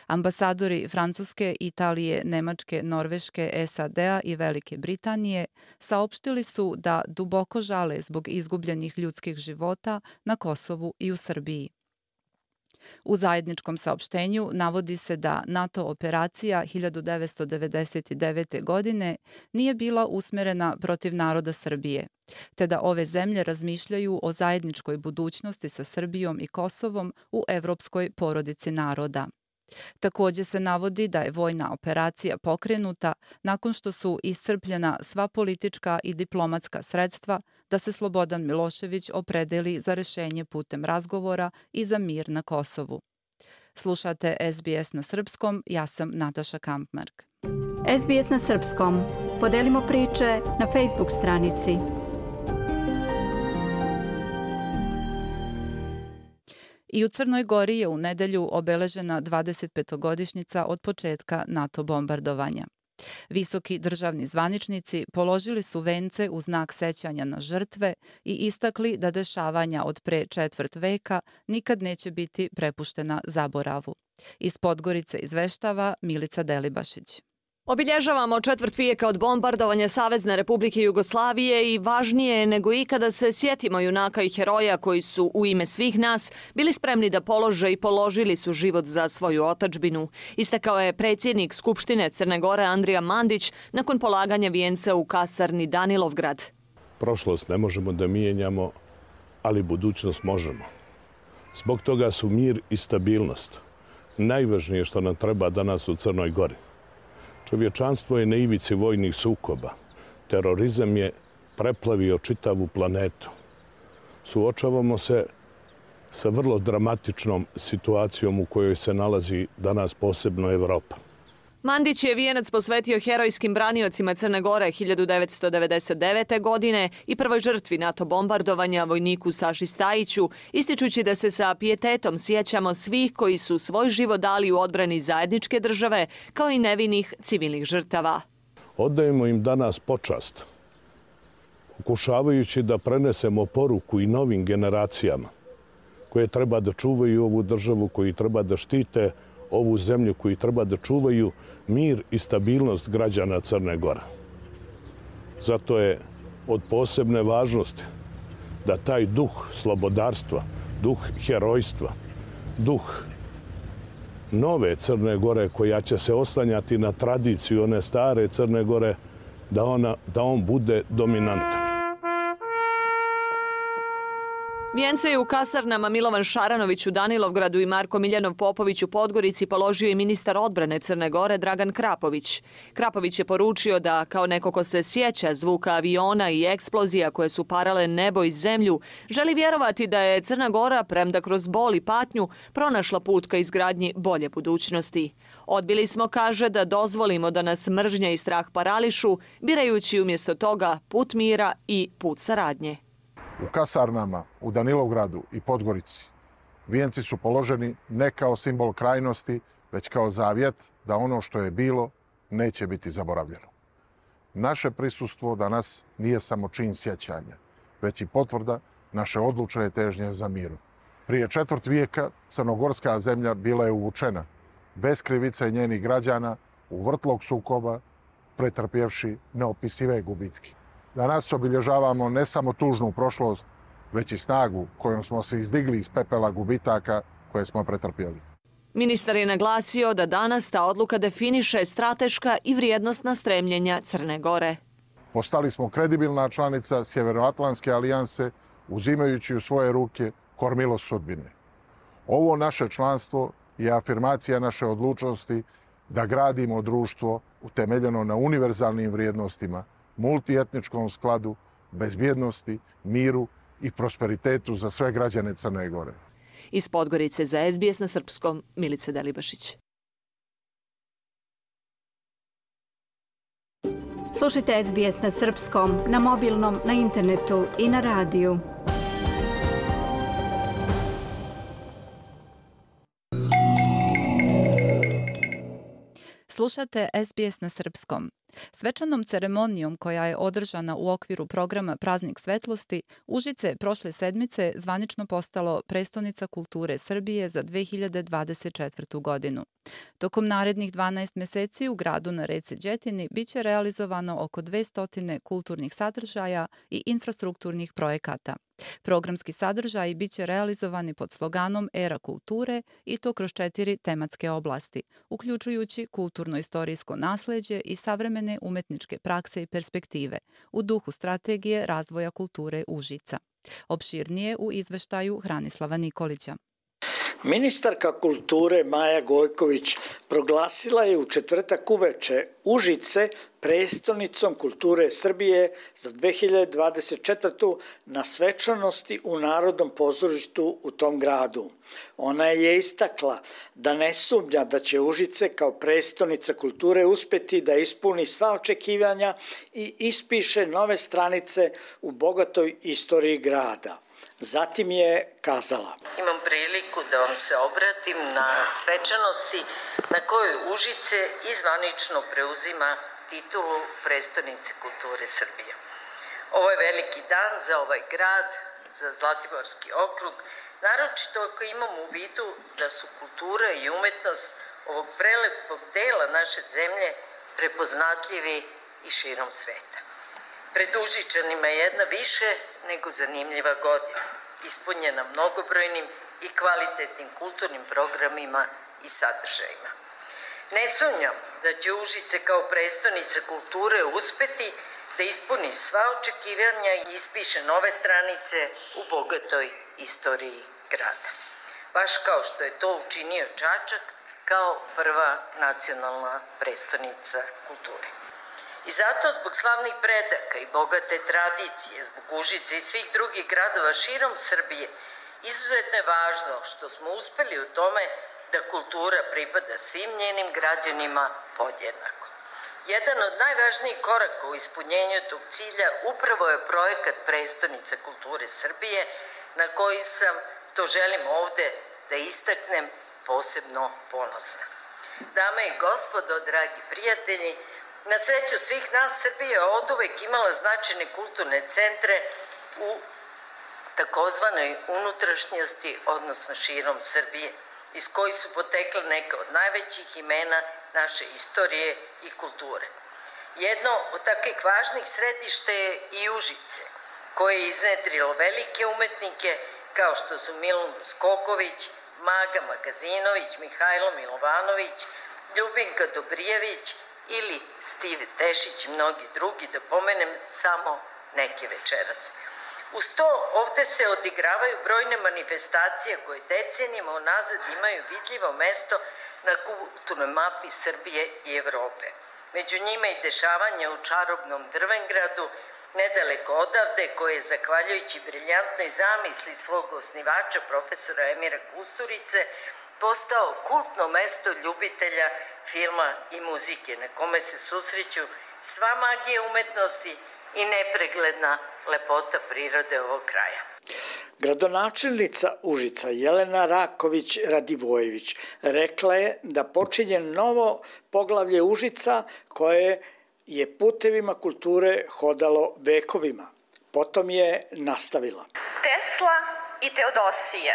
Ambasadori Francuske, Italije, Nemačke, Norveške, S A D-a i Velike Britanije saopštili su da duboko žale zbog izgubljenih ljudskih života na Kosovu i u Srbiji. U zajedničkom saopštenju navodi se da NATO operacija hiljadu devetsto devedeset devete. godine nije bila usmerena protiv naroda Srbije, te da ove zemlje razmišljaju o zajedničkoj budućnosti sa Srbijom i Kosovom u evropskoj porodici naroda. Takođe se navodi da je vojna operacija pokrenuta nakon što su iscrpljena sva politička i diplomatska sredstva da se Slobodan Milošević opredeli za rešenje putem razgovora i za mir na Kosovu. Slušate S B S na srpskom, ja sam Nataša Kampmark. S B S na srpskom. Podelimo priče na Facebook stranici. I u Crnoj Gori je u nedelju obeležena dvadesetpetogodišnjica od početka NATO bombardovanja. Visoki državni zvaničnici položili su vence u znak sećanja na žrtve i istakli da dešavanja od pre četvrt veka nikad neće biti prepuštena zaboravu. Iz Podgorice izveštava Milica Delibašić. Obilježavamo četvrt vijeka od bombardovanja Savezne Republike Jugoslavije i važnije je nego ikada se sjetimo junaka i heroja koji su u ime svih nas bili spremni da polože i položili su život za svoju otadžbinu. Istakao je predsjednik Skupštine Crne Gore Andrija Mandić nakon polaganja vijenca u kasarni Danilovgrad. Prošlost ne možemo da mijenjamo, ali budućnost možemo. Zbog toga su mir i stabilnost najvažnije što nam treba danas u Crnoj Gori. Čovječanstvo je na ivici vojnih sukoba. Terorizam je preplavio čitavu planetu. Suočavamo se sa vrlo dramatičnom situacijom u kojoj se nalazi danas posebno Evropa. Mandić je vijenac posvetio herojskim braniocima Crne Gore hiljadu devetsto devedeset devete. godine i prvoj žrtvi NATO bombardovanja, vojniku Saši Stajiću, ističući da se sa pijetetom sjećamo svih koji su svoj život dali u odbrani zajedničke države, kao i nevinih civilnih žrtava. Oddajemo im danas počast, pokušavajući da prenesemo poruku i novim generacijama koje treba da čuvaju ovu državu, koji treba da štite ovu zemlju koji treba da čuvaju mir i stabilnost građana Crne Gore. Zato je od posebne važnosti da taj duh slobodarstva, duh herojstva, duh nove Crne Gore koja će se oslanjati na tradiciju one stare Crne Gore, da, ona, da on bude dominantan. Vijence je u kasarnama Milovan Šaranović u Danilovgradu i Marko Miljanov Popović u Podgorici položio i ministar odbrane Crne Gore Dragan Krapović. Krapović je poručio da, kao neko ko se sjeća zvuka aviona i eksplozija koje su parale nebo i zemlju, želi vjerovati da je Crna Gora, premda kroz bol i patnju, pronašla put ka izgradnji bolje budućnosti. Odbili smo, kaže, da dozvolimo da nas mržnja i strah parališu, birajući umjesto toga put mira i put saradnje. U kasarnama u Danilovgradu i Podgorici vijenci su položeni ne kao simbol krajnosti, već kao zavjet da ono što je bilo neće biti zaboravljeno. Naše prisustvo danas nije samo čin sjećanja, već i potvrda naše odlučne težnje za mirom. Prije četvrt vijeka crnogorska zemlja bila je uvučena, bez krivice njenih građana, u vrtlog sukoba, pretrpjevši neopisive gubitke. Danas obilježavamo ne samo tužnu prošlost, već i snagu kojom smo se izdigli iz pepela gubitaka koje smo pretrpjeli. Ministar je naglasio da danas ta odluka definiše strateška i vrijednostna stremljenja Crne Gore. Postali smo kredibilna članica Sjevernoatlantske alijanse, uzimajući u svoje ruke kormilo sudbine. Ovo naše članstvo je afirmacija naše odlučnosti da gradimo društvo utemeljeno na univerzalnim vrijednostima, multietničkom skladu, bezbjednosti, miru i prosperitetu za sve građane Crne Gore. Iz Podgorice za S B S na srpskom, Milica Delibašić. Slušajte S B S na srpskom, na mobilnom, na internetu i na radiju. Slušate S B S na srpskom. Svečanom ceremonijom koja je održana u okviru programa Praznik svetlosti, Užice prošle sedmice zvanično postalo prestonica kulture Srbije za dve hiljade dvadeset četvrtu. godinu. Tokom narednih dvanaest meseci u gradu na reci Đetini biće realizovano oko dvesta kulturnih sadržaja i infrastrukturnih projekata. Programski sadržaji biće realizovani pod sloganom Era kulture i to kroz četiri tematske oblasti, uključujući kulturno-istorijsko nasleđe i savremene umetničke prakse i perspektive, u duhu strategije razvoja kulture Užica. Opširnije u izveštaju Hranislava Nikolića. Ministarka kulture Maja Gojković proglasila je u četvrtak uveče Užice prestonicom kulture Srbije za dve hiljade dvadeset četvrtu. na svečanosti u Narodnom pozorištu u tom gradu. Ona je istakla da ne sumnja da će Užice kao prestonica kulture uspjeti da ispuni sva očekivanja i ispiše nove stranice u bogatoj istoriji grada. Zatim je kazala: Imam priliku da vam se obratim na svečanosti na kojoj Užice izvanično preuzima titulu prestonice kulture Srbije. Ovo je veliki dan za ovaj grad, za Zlatiborski okrug, naročito ako imamo u vidu da su kultura i umetnost ovog prelepog dela naše zemlje prepoznatljivi i širom sveta. Pred Užičanima je jedna više nego zanimljiva godina, ispunjena mnogobrojnim i kvalitetnim kulturnim programima i sadržajima. Ne sumnjam da će Užice kao prestonica kulture uspeti da ispuni sva očekivanja i ispiše nove stranice u bogatoj istoriji grada. Baš kao što je to učinio Čačak kao prva nacionalna prestonica kulture. I zato zbog slavnih predaka i bogate tradicije, zbog Užice i svih drugih gradova širom Srbije, izuzetno je važno što smo uspeli u tome da kultura pripada svim njenim građanima podjednako. Jedan od najvažnijih koraka u ispunjenju tog cilja upravo je projekat Prestonica kulture Srbije, na koji sam, to želim ovde da istaknem, posebno ponosna. Dame i gospodo, dragi prijatelji, na sreću svih nas, Srbija je oduvek imala značajne kulturne centre u takozvanoj unutrašnjosti, odnosno širom Srbije. iz kojih su potekle neka od najvećih imena naše istorije i kulture. Jedno od takvih važnih središta je i Užice, koje je iznedrilo velike umetnike kao što su Milun Skoković, Maga Magazinović, Mihajlo Milovanović, Ljubinka Dobrijević ili Stive Tešić i mnogi drugi, da pomenem samo neke večeras. Uz to ovde se odigravaju brojne manifestacije koje decenijama unazad imaju vidljivo mesto na kulturnoj mapi Srbije i Evrope. Među njima i dešavanja u čarobnom Drvengradu, nedaleko odavde, koje je, zahvaljujući briljantnoj zamisli svog osnivača, profesora Emira Kusturice, postao kultno mesto ljubitelja filma i muzike, na kome se susreću sva magija umetnosti i nepregledna lepota prirode ovog kraja. Gradonačelnica Užica Jelena Raković Radivojević rekla je da počinje novo poglavlje Užica koje je putevima kulture hodalo vekovima. Potom je nastavila. Tesla i Teodosije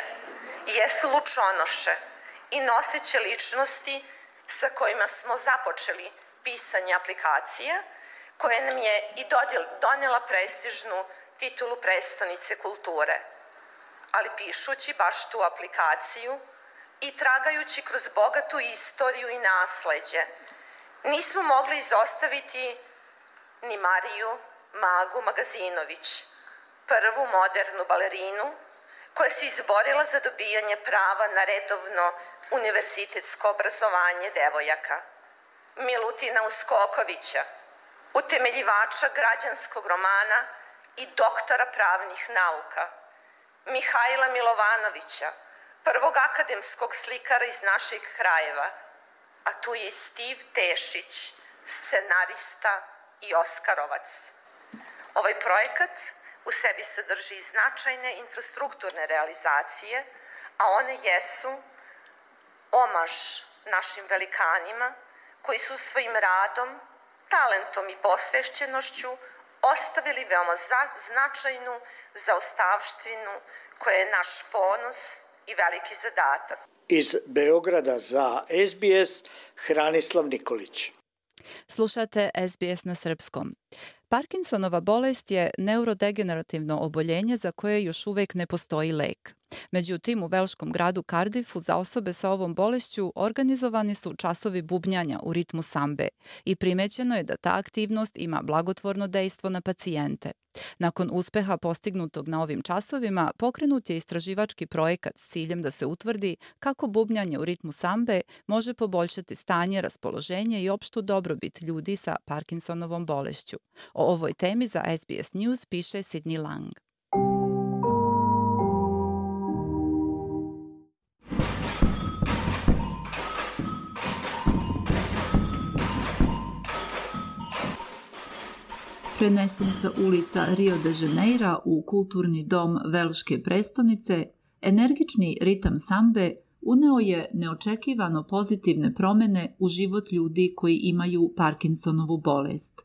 jesu lučonoše i noseće ličnosti sa kojima smo započeli pisanje aplikacije, koja nam je i donijela prestižnu titulu prestonice kulture. Ali pišući baš tu aplikaciju i tragajući kroz bogatu istoriju i nasleđe, nismo mogli izostaviti ni Mariju Magu Magazinović, prvu modernu balerinu koja se izborila za dobijanje prava na redovno univerzitetsko obrazovanje devojaka, Milutina Uskokovića, utemeljivača građanskog romana i doktora pravnih nauka, Mihajla Milovanovića, prvog akademskog slikara iz naših krajeva, a tu je i Stiv Tešić, scenarista i Oskarovac. Ovaj projekat u sebi sadrži značajne infrastrukturne realizacije, a one jesu omaž našim velikanima koji su svojim radom, talentom i posvešćenošću ostavili veoma značajnu zaostavštinu koja je naš ponos i veliki zadatak. Iz Beograda za S B S Hranislav Nikolić. Slušate S B S na srpskom. Parkinsonova bolest je neurodegenerativno oboljenje za koje još uvek ne postoji lek. Međutim, u velškom gradu Cardiffu za osobe sa ovom bolešću organizovani su časovi bubnjanja u ritmu sambe i primećeno je da ta aktivnost ima blagotvorno dejstvo na pacijente. Nakon uspeha postignutog na ovim časovima, pokrenut je istraživački projekat s ciljem da se utvrdi kako bubnjanje u ritmu sambe može poboljšati stanje, raspoloženje i opštu dobrobit ljudi sa Parkinsonovom bolešću. O ovoj temi za S B S News piše Sidney Lang. Prenesen sa ulica Rio de Janeira u kulturni dom velške prestonice, energični ritam sambe uneo je neočekivano pozitivne promene u život ljudi koji imaju Parkinsonovu bolest.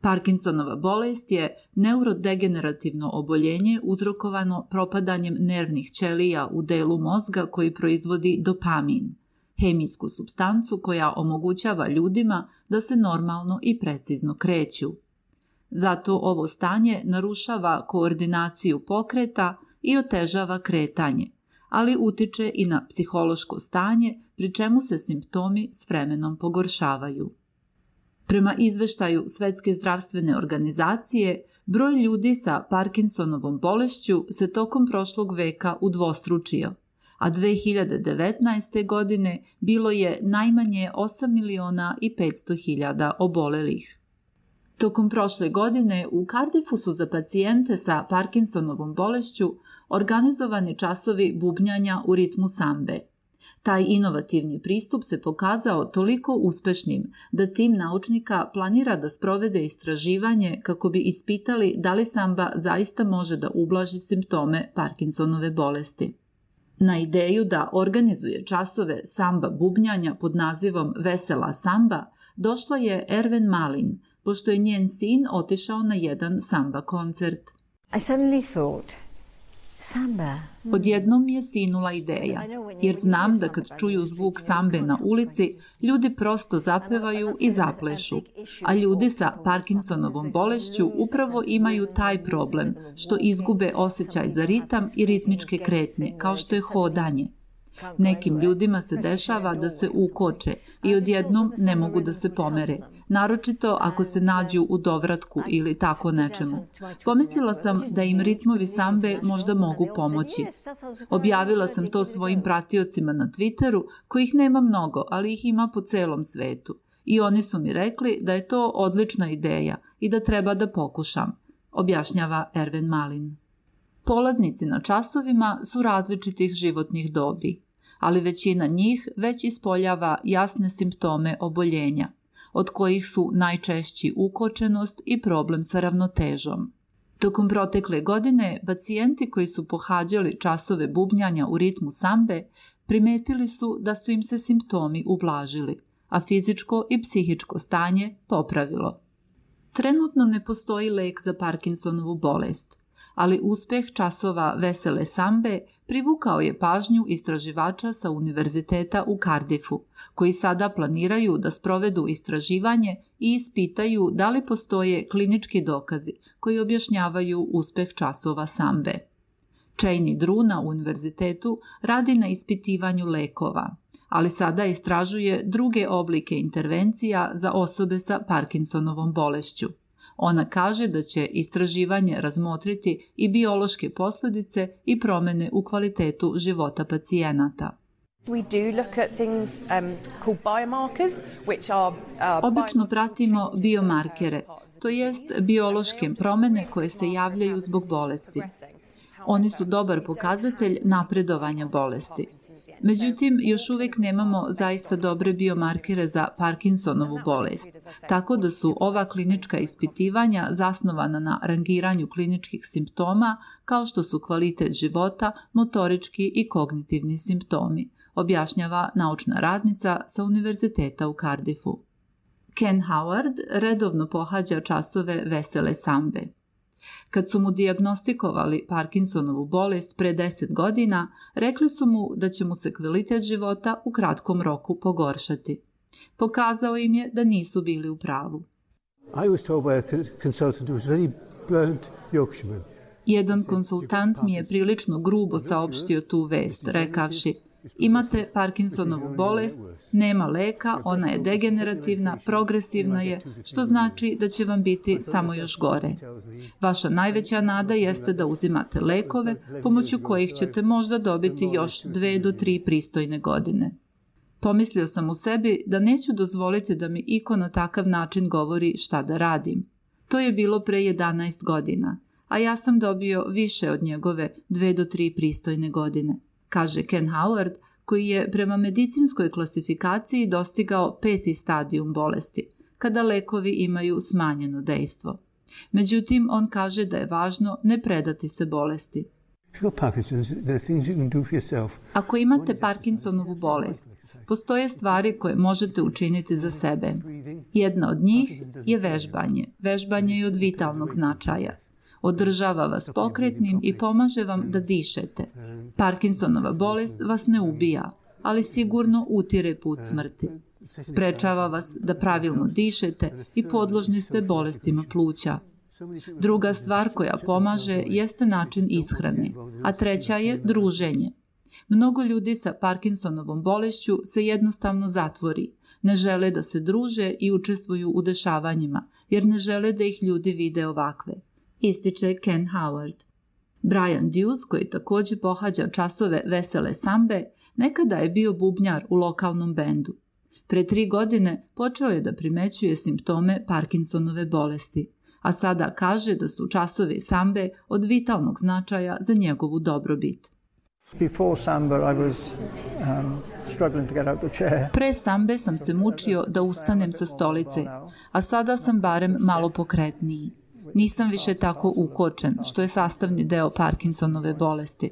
Parkinsonova bolest je neurodegenerativno oboljenje uzrokovano propadanjem nervnih ćelija u delu mozga koji proizvodi dopamin, hemijsku supstancu koja omogućava ljudima da se normalno i precizno kreću. Zato ovo stanje narušava koordinaciju pokreta i otežava kretanje, ali utiče i na psihološko stanje, pri čemu se simptomi s vremenom pogoršavaju. Prema izveštaju Svetske zdravstvene organizacije, broj ljudi sa Parkinsonovom bolešću se tokom prošlog veka udvostručio, a dve hiljade devetnaeste. godine bilo je najmanje osam miliona i petsto hiljada obolelih. Tokom prošle godine u Cardiffu su za pacijente sa Parkinsonovom bolešću organizovani časovi bubnjanja u ritmu sambe. Taj inovativni pristup se pokazao toliko uspešnim da tim naučnika planira da sprovede istraživanje kako bi ispitali da li samba zaista može da ublaži simptome Parkinsonove bolesti. Na ideju da organizuje časove samba bubnjanja pod nazivom Vesela samba došla je Erven Malin, pošto je njen sin otišao na jedan samba koncert. I suddenly thought, Odjednom mi je sinula ideja, jer znam da kad čuju zvuk sambe na ulici, ljudi prosto zapevaju i zaplešu, a ljudi sa Parkinsonovom bolešću upravo imaju taj problem, što izgube osjećaj za ritam i ritmičke kretnje, kao što je hodanje. Nekim ljudima se dešava da se ukoče i odjednom ne mogu da se pomere, naročito ako se nađu u dovratku ili tako nečemu. Pomislila sam da im ritmovi sambe možda mogu pomoći. Objavila sam to svojim pratiocima na Twitteru, kojih nema mnogo, ali ih ima po celom svetu. I oni su mi rekli da je to odlična ideja i da treba da pokušam, objašnjava Erven Malin. Polaznici na časovima su različitih životnih dobi, ali većina njih već ispoljava jasne simptome oboljenja, od kojih su najčešći ukočenost i problem sa ravnotežom. Tokom protekle godine, pacijenti koji su pohađali časove bubnjanja u ritmu sambe primetili su da su im se simptomi ublažili, a fizičko i psihičko stanje popravilo. Trenutno ne postoji lek za Parkinsonovu bolest, ali uspeh časova vesele sambe privukao je pažnju istraživača sa Univerziteta u Cardiffu, koji sada planiraju da sprovedu istraživanje i ispitaju da li postoje klinički dokazi koji objašnjavaju uspeh časova sambe. Cheney Drew na univerzitetu radi na ispitivanju lekova, ali sada istražuje druge oblike intervencija za osobe sa Parkinsonovom bolešću. Ona kaže da će istraživanje razmotriti i biološke posljedice i promjene u kvalitetu života pacijenata. Obično pratimo biomarkere, to jest biološke promjene koje se javljaju zbog bolesti. Oni su dobar pokazatelj napredovanja bolesti. Međutim, još uvijek nemamo zaista dobre biomarkere za Parkinsonovu bolest, tako da su ova klinička ispitivanja zasnovana na rangiranju kliničkih simptoma kao što su kvalitet života, motorički i kognitivni simptomi, objašnjava naučna radnica sa Univerziteta u Cardiffu. Ken Howard redovno pohađa časove vesele sambe. Kad su mu dijagnostikovali Parkinsonovu bolest pre deset godina, rekli su mu da će mu se kvalitet života u kratkom roku pogoršati. Pokazao im je da nisu bili u pravu. Jedan konsultant mi je prilično grubo saopštio tu vest, rekavši: imate Parkinsonovu bolest, nema leka, ona je degenerativna, progresivna je, što znači da će vam biti samo još gore. Vaša najveća nada jeste da uzimate lekove, pomoću kojih ćete možda dobiti još dve do tri pristojne godine. Pomislio sam u sebi da neću dozvoliti da mi iko na takav način govori šta da radim. To je bilo pre jedanaest godina, a ja sam dobio više od njegove dve do tri pristojne godine, kaže Ken Howard, koji je prema medicinskoj klasifikaciji dostigao peti stadijum bolesti, kada lekovi imaju smanjeno dejstvo. Međutim, on kaže da je važno ne predati se bolesti. Ako imate Parkinsonovu bolest, postoje stvari koje možete učiniti za sebe. Jedna od njih je vežbanje. Vežbanje je od vitalnog značaja. Održava vas pokretnim i pomaže vam da dišete. Parkinsonova bolest vas ne ubija, ali sigurno utire put smrti. Sprečava vas da pravilno dišete i podložni ste bolestima pluća. Druga stvar koja pomaže jeste način ishrane, a treća je druženje. Mnogo ljudi sa Parkinsonovom bolešću se jednostavno zatvori, ne žele da se druže i učestvuju u dešavanjima, jer ne žele da ih ljudi vide ovakve, ističe Ken Howard. Brian Dews, koji također pohađa časove vesele sambe, nekada je bio bubnjar u lokalnom bendu. Pre tri godine počeo je da primećuje simptome Parkinsonove bolesti, a sada kaže da su časovi sambe od vitalnog značaja za njegovu dobrobit. Pre sambe sam se mučio da ustanem sa stolice, a sada sam barem malo pokretniji. Nisam više tako ukočen, što je sastavni deo Parkinsonove bolesti.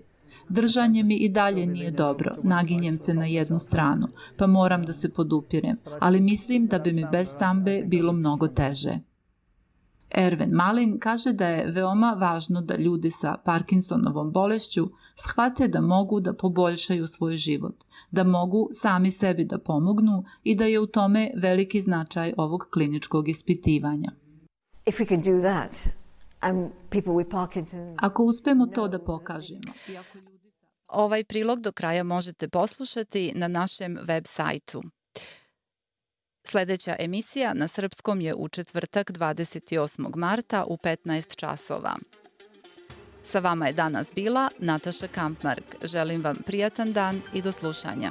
Držanje mi i dalje nije dobro, naginjem se na jednu stranu, pa moram da se podupirem, ali mislim da bi mi bez sambe bilo mnogo teže. Erven Malin kaže da je veoma važno da ljudi sa Parkinsonovom bolešću shvate da mogu da poboljšaju svoj život, da mogu sami sebi da pomognu i da je u tome veliki značaj ovog kliničkog ispitivanja. If we can do that, um, people with Parkinson's... Ako uspemo to da pokažemo... Ovaj prilog do kraja možete poslušati na našem web sajtu. Sljedeća emisija na srpskom je u četvrtak dvadeset osmog marta u petnaest časova. Sa vama je danas bila Nataša Kampmark. Želim vam prijatan dan i do slušanja.